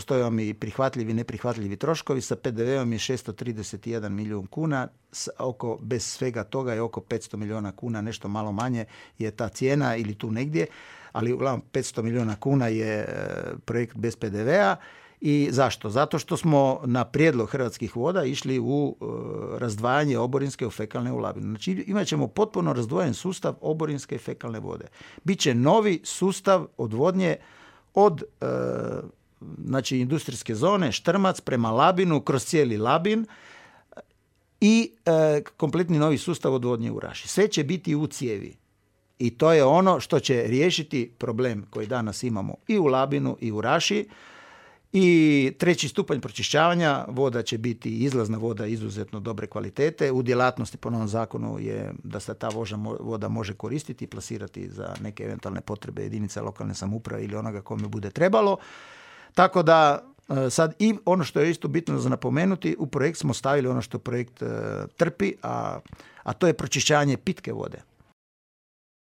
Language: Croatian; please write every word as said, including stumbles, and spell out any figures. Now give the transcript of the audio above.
Stoje vam i prihvatljivi i neprihvatljivi troškovi, sa P D V-om je šesto trideset jedan milijun kuna, oko, bez svega toga je oko petsto milijuna kuna, nešto malo manje je ta cijena ili tu negdje, ali uglavnom petsto milijuna kuna je projekt bez P D V-a. I zašto? Zato što smo na prijedlog Hrvatskih voda išli u uh, razdvajanje oborinske u fekalne u Labinu. Znači imat ćemo potpuno razdvojen sustav oborinske i fekalne vode. Biće novi sustav odvodnje od uh, znači industrijske zone Štrmac prema Labinu, kroz cijeli Labin i uh, kompletni novi sustav odvodnje u Raši. Sve će biti u cijevi. I to je ono što će riješiti problem koji danas imamo i u Labinu i u Raši. I treći stupanj pročišćavanja voda će biti izlazna voda izuzetno dobre kvalitete. U djelatnosti po novom zakonu je da se ta voda može koristiti i plasirati za neke eventualne potrebe jedinice lokalne samouprave ili onoga kome bude trebalo. Tako da sad i ono što je isto bitno za napomenuti, u projekt smo stavili ono što projekt trpi, a, a to je pročišćavanje pitke vode.